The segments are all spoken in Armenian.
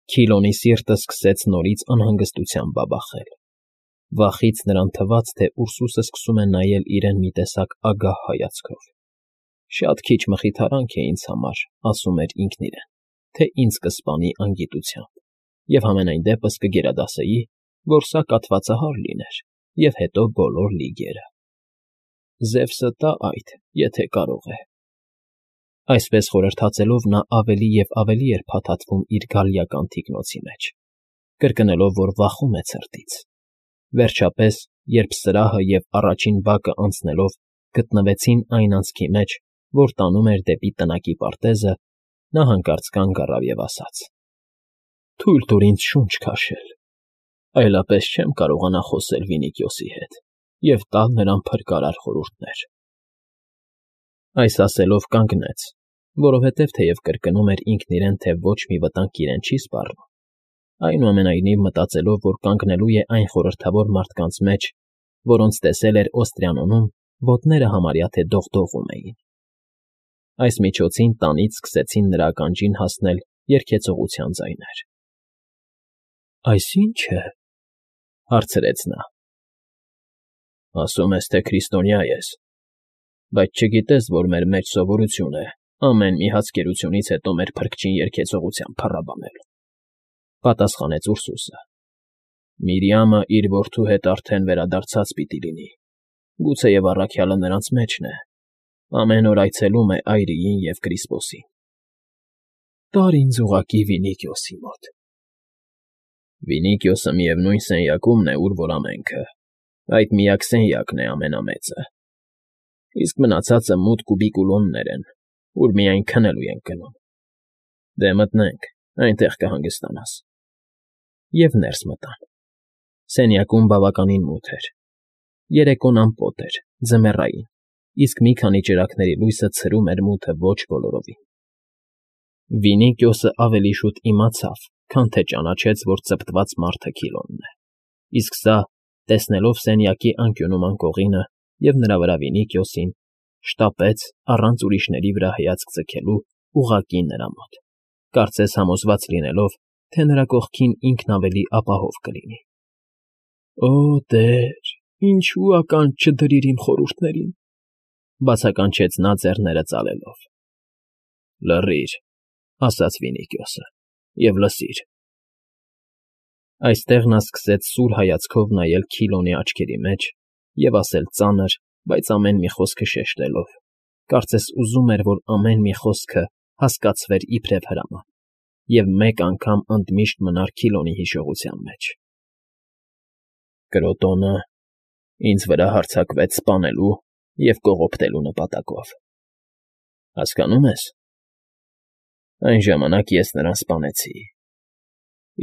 Քիլոնի սիրտը սկսեց նորից անհանգստությամբ բաբախել. վախից նրան թվաց, թե Ուրսուսը սկսում է նայել իրեն մի տեսակ ագահ հայացքով։ «Շատ քիչ մխիթարանք է ինձ համար,֊ ասում էր ինքն իրեն,֊ թե ինձ կսպանի անգիտությամբ, և համենայն դեպս կգերադասեի, որ սա կաթվածահար լիներ, և հետո բոլոր լիգերը։ Զևսը տա այդ, եթե կարող է»։ Այսպես խորհրդածելով նա ավելի և ավելի էր փաթաթվում իր գալիական թիկնոցի մեջ, կրկնելով, որ վախում է ցրտից։ Վերջապես, երբ սրահը և առաջին բակը անցնելով գտնվեցին այն անցքի մեջ, որ տանում էր դեպի տնակի պարտեզը, նա հանկարծ կանգ առավ և ասաց. «Թույլ տուր ինձ շունչ քաշել, այլապես չեմ կարողանա խոսել Վինիքիոսի հետ և տալ նրան փրկարար խորհուրդներ»։ Այս ասելով կանգնեց, որովհետև թեև կրկնում էր ինքն իրեն, թե ոչ մի վտանգ իրեն չի սպառնում, այնուամենայնիվ մտածելով, որ կանգնելու է այն խորհրդավոր մարդկանց մեջ, որոնց տեսել էր Օստրիանոնում, ոտները համարյա թե դողդողում էին։ Այս միջոցին տանից սկսեցին նրա ականջին հասնել երգեցողության ձայներ։ «Այս ի՞նչ է,֊ հարցրեց նա։ «Ասում ես, թե քրիստոնյա ես, բայց չգիտես, որ մեր մեջ սովորություն է ամեն մի հացկերությունից հետո մեր փրկչին երգեցողությամբ փառաբանել,֊ պատասխանեց Ուրսուսը։ «Միրիամը իր որդու հետ արդեն վերադարձած պիտի լինի, գուցեև առաքյալը նրանց մեջն է, ամեն օր այցելում է այրիին և Կրիսպոսին»։ «Տար ինձ ուղղակի Վինիքիոսի մոտ»։ «Վինիքիոսը միևնույն սենյակումն է, ուր որ ամենքը, այդ միակ սենյակն է ամենամեծը, իսկ մնացածը մուտք ու բիկուլոններ են, ուր միայն քնելու ենք գնում։ Դե մտնենք, այնտեղ կհանգստանաս»։ Եվ ներս մտան։ Սենյակում բավականին մութ էր։ Երեկոն ամպոտ էր, ձմեռային, իսկ մի քանի ճրագների լույսը ցրում էր մութը ոչ բոլորովին։ Վինիքիոսը ավելի շուտ իմացավ, քան թե ճանաչեց, որ ծպտված մարդը Քիլոնն է, իսկ սա, տեսնելով սենյակի անկյունում անկողինը և նրա վրա Վինիքիոսին, շտապեց, առանց ուրիշների վրա հայացք ձգելու, ուղղակի նրա մոտ, կարծես համոզված լինելով, թե նրա կողքին ինքն ավելի ապահով կլինի։ «Օ Տեր, ինչո՞ւ ականջ չդրիր իմ խորհուրդներին,֊ բացականչեց նա ձեռները ծալելով։ «Լռիր,֊ ասաց Վինիքիոսը,֊ և լսիր»։ Այստեղ նա սկսեց սուր հայացքով նայել Քիլոնի աչքերի մեջ և ասել ծանր, բայց ամեն մի խոսքը շեշտելով, կարծես ուզում էր, որ ամեն մի խոսքը հասկացվեր իբրև հրաման և մեկ անգամ ընդմիշտ մնար Քիլոնի հիշողության մեջ։ «Կրոտոնը ինձ վրա հարձակվեց սպանելու և կողոպտելու նպատակով, հասկանո՞ւմ ես։ Այն ժամանակ ես նրան սպանեցի,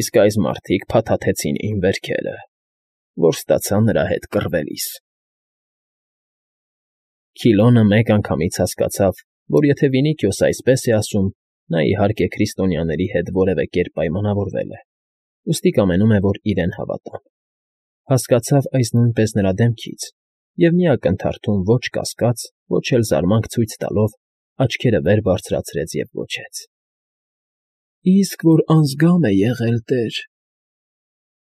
իսկ այս մարդիկ փաթաթեցին իմ վերքերը, որ ստացա նրա հետ կռվելիս»։ Քիլոնը մեկ անգամից հասկացավ, որ եթե Վինիքիոսը այսպես է ասում, նա, իհարկե, քրիստոնյաների հետ որևէ կերպ պայմանավորվել է, ուստի կամենում է, որ իրեն հավատան։ Հասկացավ այս նույնպես նրա դեմքից և մի ակնթարթում ոչ կասկած, ոչ էլ զարմանք ցույց տալով, աչքերը վեր բարձրացրեց և գոչեց. «Իսկ որ անձգամ է եղել, Տեր,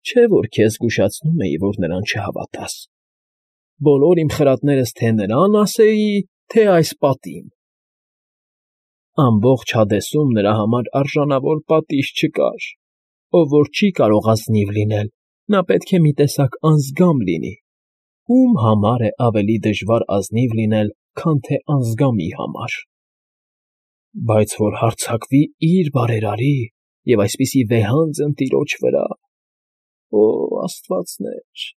չէ՞ որ քեզ զգուշացնում էի, որ նրան չհավատաս։ Բոլոր իմ խրատներս թե նրան ասեի, թե այս պատին։ Ամբողջ Հադեսում նրա համար արժանավոր պատիժ չկար, ով որ չի կարող ազնիվ լինել, նա պետք է մի տեսակ անձգամ լինի, ում համար է ավելի դժվար ազնիվ լինել, քան թե անձգամի համար։ Բայց որ հարձակվի իր բարերարի և այսպիսի վեհանձն տիրոջ վրա… Օ աստվածներ…»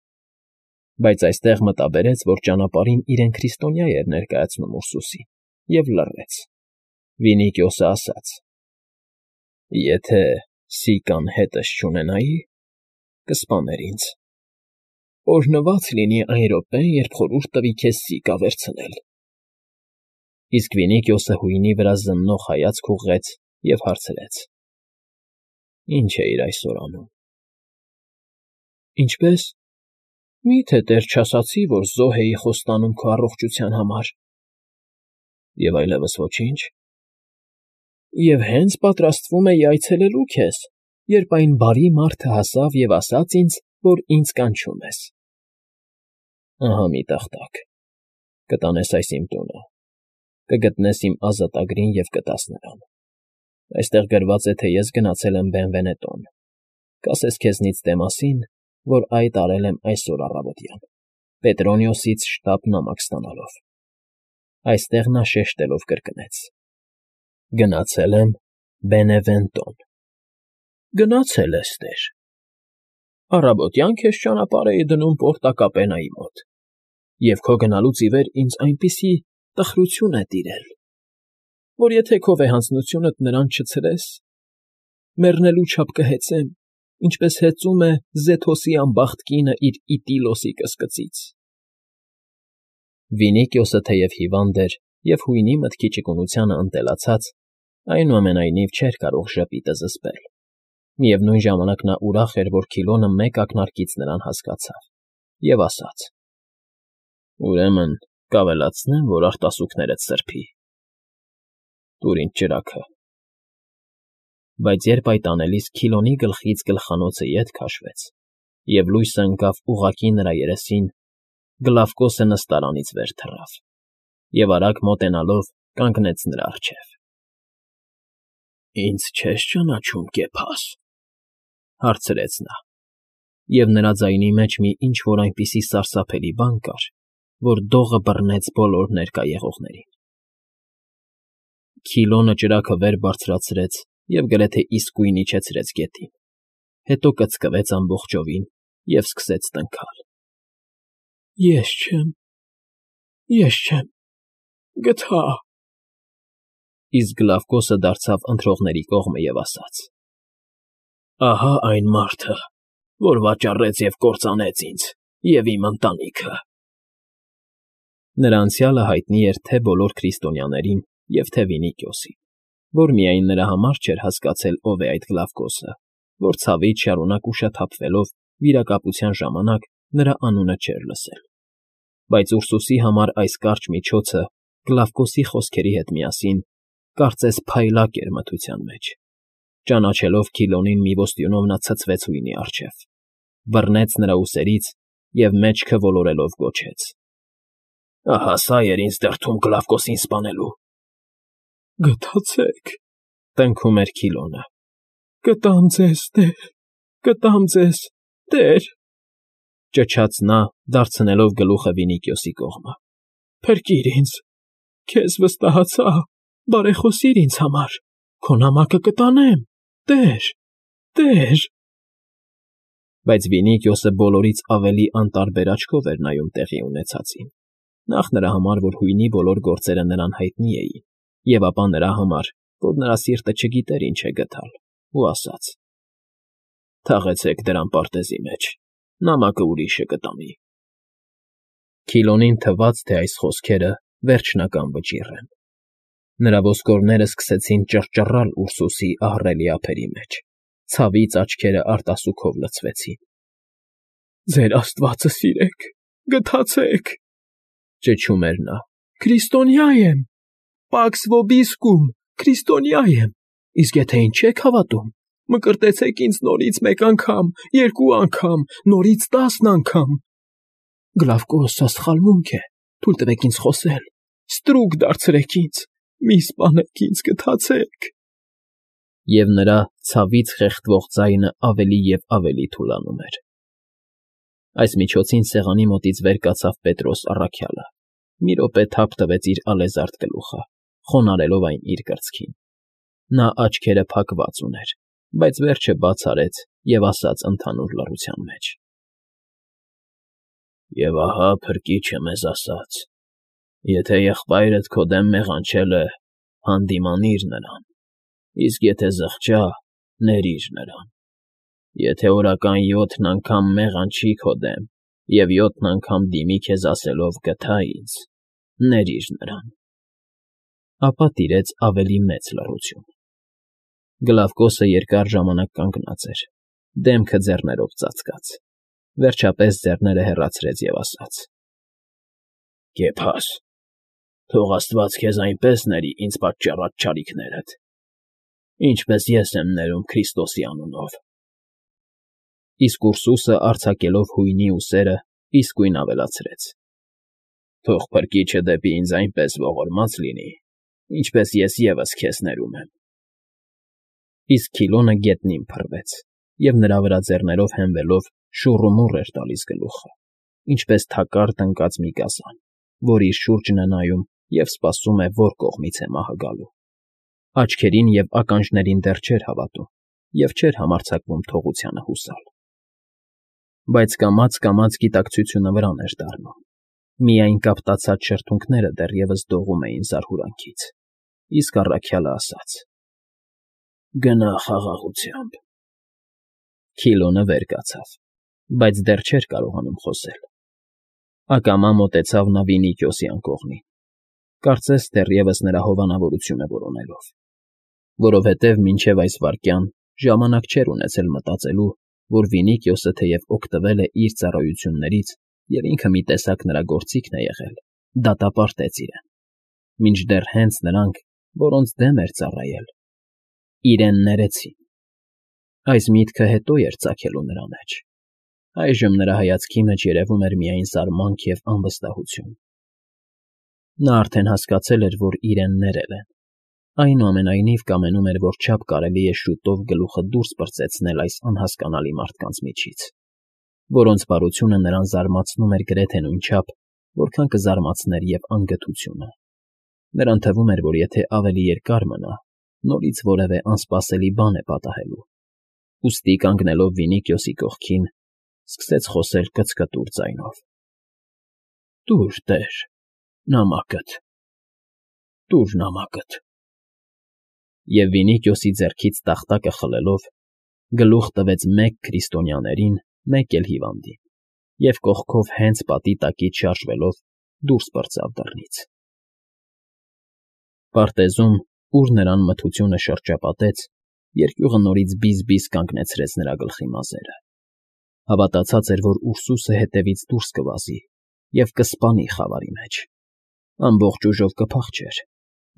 Բայց այստեղ մտաբերեց, որ ճանապարհին իրեն քրիստոնյա էր ներկայացնում Ուրսուսին, և լռեց։ Վինիքիոսը ասաց. «Եթե Սիկան հետս չունենայի, կսպաներ ինձ։ Օրհնված լինի այն րոպեն, երբ խորհուրդ տվի քեզ Սիկա վերցնել»։ Իսկ Վինիքիոսը հույնի վրա զննող հայացք ուղղեց և հարցրեց. «Ի՞նչ էիր այսօր անում»։ «Ինչպե՞ս։ Մի՞թե դեռ չասացի, որ զոհ էի խոստանում քո առողջության համար»։ «Եվ այլևս ոչի՞նչ»։ «Եվ հենց պատրաստվում էի այցելելու քեզ, երբ այն բարի մարդը հասավ և ասաց ինձ, որ ինձ կանչում ես։ Ահա մի տախտակ, կտանես այս իմ տունը, կգտնես իմ ազատագրին և կտաս նրան։ Այստեղ գրված է, թե ես գնացել եմ Բենվենետոն, կասես քեզնից Դեմասին, որ այդ արել եմ այսօր առավոտյան, Պետրոնիոսից շտապ նամակ ստանալով։ Այստեղ նա շեշտելով կրկնեց. Գնացել եմ Բենևենտոն։ Գնացել ես, տեր։ Առավոտյան քեզ ճանապարհ էի դնում Պորտակապենայի մոտ, և քո գնալուց ի վեր ինձ այնպիսի տխրություն է տիրել, որ եթե քո վեհանձնությունդ նրան չցրես, մեռնելու չափ կհեծեմ, ինչպես հեծում է Զեթոսի անբախտ կինը իր Իտիլոսի կսկծից։ Վինիկիոսը թեև հիվանդ էր և հույնի մտքի ճկունությանը ընտելացած, այնուամենայնիվ չէր կարող ժպիտը զսպել։ Միևնույն ժամանակ նա ուրախ էր, որ Քիլոնը մեկ ակնարկից նրան հասկացավ, և ասաց. Ուրեմն կավելացնեմ, որ արտասուքներդ սրբի։ Տուր ինձ ճրագը։ Բայց երբ այդ անելիս Քիլոնի գլխից գլխանոցը ետ քաշվեց, և լույսը ընկավ ուղղակի նրա երեսին, Գլավկոսը նստարանից վեր թռավ և արագ մոտենալով կանգնեց նրա առջև։ Ինձ չե՞ս ճանաչում, Կեփաս, հարցրեց նա, և նրա ձայնի մեջ մի ինչ֊որ այնպիսի սարսափելի բան կար, որ դողը բռնեց բոլոր ներկա եղողներին։ Քիլոնը ճրագը վեր բարձրացրեց և գրեթե իսկույն իջեցրեց գետին, հետո կծկվեց ամբողջովին և սկսեց տնքալ. Ես չեմ, գթա… Իսկ Գլավկոսը դարձավ ընթրողների կողմը և ասաց. Ահա այն մարդը, որ վաճառեց և կործանեց ինձ և իմ ընտանիքը։ Նրա անցյալը հայտնի էր թե բոլոր քրիստոնյաներին և թե Վինիկիոսին, որ միայն նրա համար չէր հասկացել ով է այդ Գլավկոսը, որ ցավից շարունակ ուշաթափվելով վիրակապության ժամանակ նրա անունը չէր լսել։ Բայց Ուրսուսի համար այս կարճ միջոցը Գլավկոսի խոսքերի հետ միասին կարծես փայլակ էր մթության մեջ։ Ճանաչելով Քիլոնին մի ոստյունով նա ցցվեց հույնի առջև, բռնեց նրա ուսերից և մեջքը ոլորելով գոչեց. Ահա սա էր ինձ դրդում Գլավկոսին սպանելու։ Գթացեք, տնքում էր Քիլոնը։ Կտամ ձեզ, տեր, կտամ ձեզ, տեր, ճչաց նա, դարձնելով գլուխը Վինիկիոսի կողմը։ Փրկիր ինձ, քեզ վստահացա, բարեխոսիր ինձ համար, քո նամակը կտանեմ, տեր… Բայց Վինիկիոսը բոլորից ավելի անտարբեր աչքով էր նայում տեղի ունեցածին, նախ նրա համար, որ հույնի բոլոր գործերը նրան հայտնի էին, և ապա նրա համար, որ նրա սիրտը չգիտեր ինչ է գտալ, ու ասաց. Թաղեցեք դրան պարտեզի մեջ, նամակը ուրիշը կտանի։ Քիլոնին թվաց, թե այս խոսքերը վերջնական վճիռ են։ Նրա ոսկորները սկսեցին ճռճռալ Ուրսուսի ահռելի ափերի մեջ, ցավից աչքերը արտասուքով լցվեցին։ Ձեր աստվածը սիրեք, գթացեք, ճչում էր նա։ Քրիստոնյա եմ, Պաքս Վոբիսկում, քրիստոնյա եմ, իսկ եթե ինձ չեք հավատում, մկրտեցեք ինձ նորից մեկ անգամ, երկու անգամ, նորից 10 անգամ։ Գլավկոս, սա սխալմունք է, թույլ տվեք ինձ խոսել, ստրուկ դարձրեք ինձ, մի սպանեք ինձ, գթացեք… Եվ նրա ցավից խեղդվող ձայնը ավելի և ավելի թուլանում էր։ Այս միջոցին սեղանի մոտից վեր կացավ Պետրոս առաքյալը, մի րոպե թափ տվեց իր ալեզարդ գլուխը, խոնարհելով այն իր կրծքին։ Նա աչքերը փակված ուներ, բայց վերջը բաց արեց և ասաց ընդհանուր լռության մեջ. Եվ ահա փրկիչը մեզ ասաց. եթե եղբայրդ քո դեմ մեղանչել է, հանդիմանիր նրան, իսկ եթե զղջա, ներիր նրան։ Եթե օրական 7 անգամ մեղանչի քո դեմ և 7 անգամ դիմի քեզ ասելով «գթա ինձ», ներիր նրան… Ապա տիրեց ավելի մեծ լռություն։ Գլավկոսը երկար ժամանակ կանգնած էր, դեմքը ձեռներով ծածկած, վերջապես ձեռները հեռացրեց և ասաց. Կեփաս, թող աստված քեզ այնպես ների ինձ պատճառած չարիքներդ, Ինչպես ես եմ ներում Քրիստոսի անունով։ Իսկ Ուրսուսը արձակելով հույնի ուսերը իսկույն ավելացրեց. Թող փրկիչը դեպի ինձ այնպես ողորմած լինի, ինչպես ես ևս քեզ ներում եմ։ Իսկ Քիլոնը գետնին փռվեց, և նրա վրա ձեռներով հենվելով շուռումուռ էր տալիս գլուխը, ինչպես թակար տնկած մի գազան, որ իր շուրջն է նայում և սպասում է, որ կողմից է մահը գալու։ Աչքերին և ականջներին դեռ չէր հավատում և չէր համարձակվում թողությանը հուսալ։ Բայց կամաց֊կամաց գիտակցությունը վրան էր դառնում։ Միայն կապտացած շրթունքները դեռևս դողում էին զարհուրանքից, իսկ առաքյալը ասաց. «Գնա խաղաղությամբ»։ Քիլոնը վեր կացավ, բայց դեռ չէր կարողանում խոսել։ Ակամա մոտեցավ նա Վինիքիոսի անկողնին, կարծես դեռևս նրա հովանավորությունը որոնելով, որովհետև մինչև այս վայրկյան ժամանակ չէր ունեցել մտածելու, որ Վինիքիոսը թեև օգտվել է իր ծառայություններից և ինքը մի տեսակ նրա գործիքն է եղել, դատապարտեց իրեն, մինչդեռ հենց նրանք, որոնց դեմ էր ծառայել, իրեն ներեցին։ Այս միտքը հետո էր ծագելու նրա մեջ։ Այժմ նրա հայացքի մեջ երևում էր միայն զարմանք և անվստահություն։ Նա արդեն հասկացել էր, որ իրեն ներել են, այնուամենայնիվ կամենում էր, որ չափ կարելի է շուտով գլուխը դուրս պրծեցնել այս անհասկանալի մարդկանց միջից, որոնց բարությունը նրան զարմացնում էր գրեթե նույնչափ, որքան կզարմացներ և անգթությունը։ Նրան թվում էր, որ եթե ավելի երկար մնա, նորից որևէ անսպասելի բան է պատահելու։ Ուստի կանգնելով Վինիքիոսի կողքին, սկսեց խոսել կծկտուր ձայնով. «Տուր, տեր, նամակդ, տուր նամակդ»։ Եվ Վինիքիոսի ձեռքից տախտակը խլելով, գլուխ տվեց մեկ քրիստոնյաներին, մեկ էլ հիվանդին, և կողքով հենց պատի տակից շարժվելով դուրս պրծավ դռնից։ Պարտեզում, ուր նրան մթությունը շրջապատեց, երկյուղը նորից բիզ֊բիզ կանգնեցրեց նրա գլխի մազերը։ Հավատացած էր, որ Ուրսուսը հետևից դուրս կվազի և կսպանի խավարի մեջ։ Ամբողջ ուժով կփախչեր,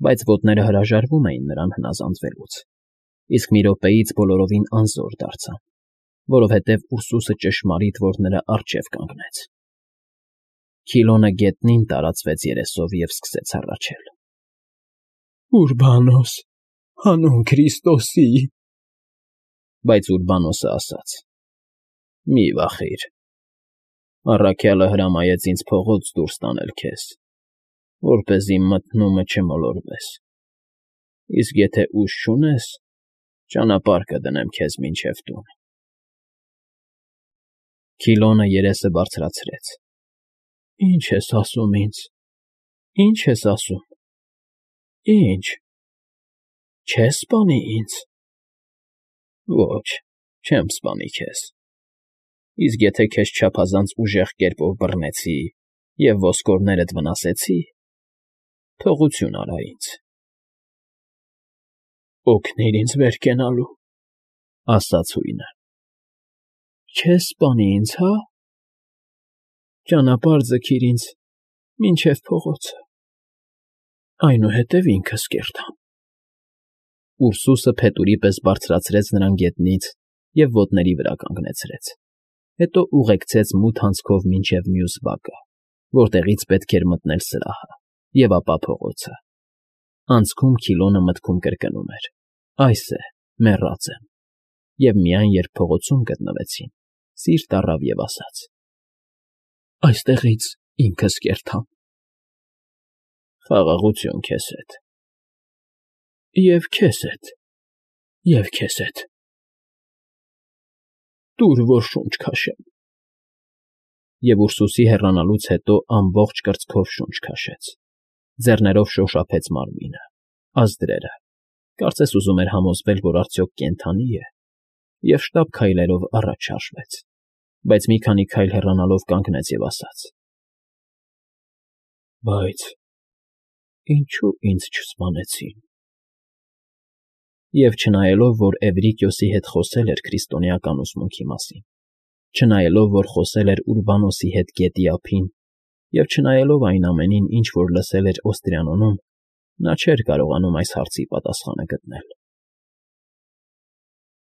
բայց ոտները հրաժարվում էին նրան հնազանդվելուց, իսկ մի րոպեից բոլորովին անզոր դարձան, որովհետև Ուրսուսը ճշմարիտ որ նրա առջև կանգնեց։ Քիլոնը գետնին տարածվեց երեսով և սկսեց հառաչել. «Ուրբանոս, հանուն Քրիստոսի»։ Բայց Ուրբանոսը ասաց. «Մի վախիր, առաքյալը հրամայեց ինձ փողոց դուրս տանել քեզ, որպեսզի մթնումը չմոլորվես, իսկ եթե ուժ չունես, ճանապարհ կդնեմ քեզ մինչև տուն»։ Քիլոնը երեսը բարձրացրեց. «Ի՞նչ ես ասում ինձ, ի՞նչ ես ասում, ի՞նչ, չե՞ս սպանի ինձ»։ «Ոչ, չեմ սպանի քեզ, իսկ եթե քեզ չափազանց ուժեղ կերպով բռնեցի և ոսկորներդ վնասեցի, թողություն արա ինձ»։ «Օգնիր ինձ վեր կենալու», ասաց հույնը։ «Չե՞ս սպանի ինձ, հա՞։ Ճանապարհ ձգիր ինձ մինչև փողոցը, այնուհետև ինքս կերտամ»։ Ուրսուսը փետուրի պես բարձրացրեց նրան գետնից և ոտների վրա կանգնեցրեց, հետո ուղեկցեց մութ անցքով մինչև մյուս բակը, որտեղից պետք էր մտնել սրահը, և ապա փողոցը։ Անցքում Քիլոնը մտքում կրկնում էր. «Այս է, մեռած եմ», և միայն երբ փողոցում գտնվեցին, սիրտ առավ և ասաց. «Այստեղից ինքս կերտամ»։ «Խաղաղություն քեզ հետ»։ «Եվ քեզ հետ, և քեզ հետ»։ «Տուր, որ շունչ քաշեմ»։ Եվ Ուրսուսի հեռանալուց հետո ամբողջ կրծքով շունչ քաշեց, ձեռներով շոշափեց մարմինը, ազդրերը, կարծես ուզում էր համոզվել, որ արդյոք կենդանի է, և շտապ քայլերով առաջ շարժվեց, բայց մի քանի քայլ հեռանալով կանգնեց և ասաց. «Բայց ինչո՞ւ ինձ չսպանեցին»։ Եվ չնայելով, որ Էվրիկիոսի հետ խոսել էր քրիստոնեական ուսմունքի մասին, չնայելով, որ խոսել էր Ուրբանոսի հետ գետի ափին, և չնայելով այն ամենին, ինչ որ լսել էր Օստրիանոնում, նա չէր կարողանում այս հարցի պատասխանը գտնել։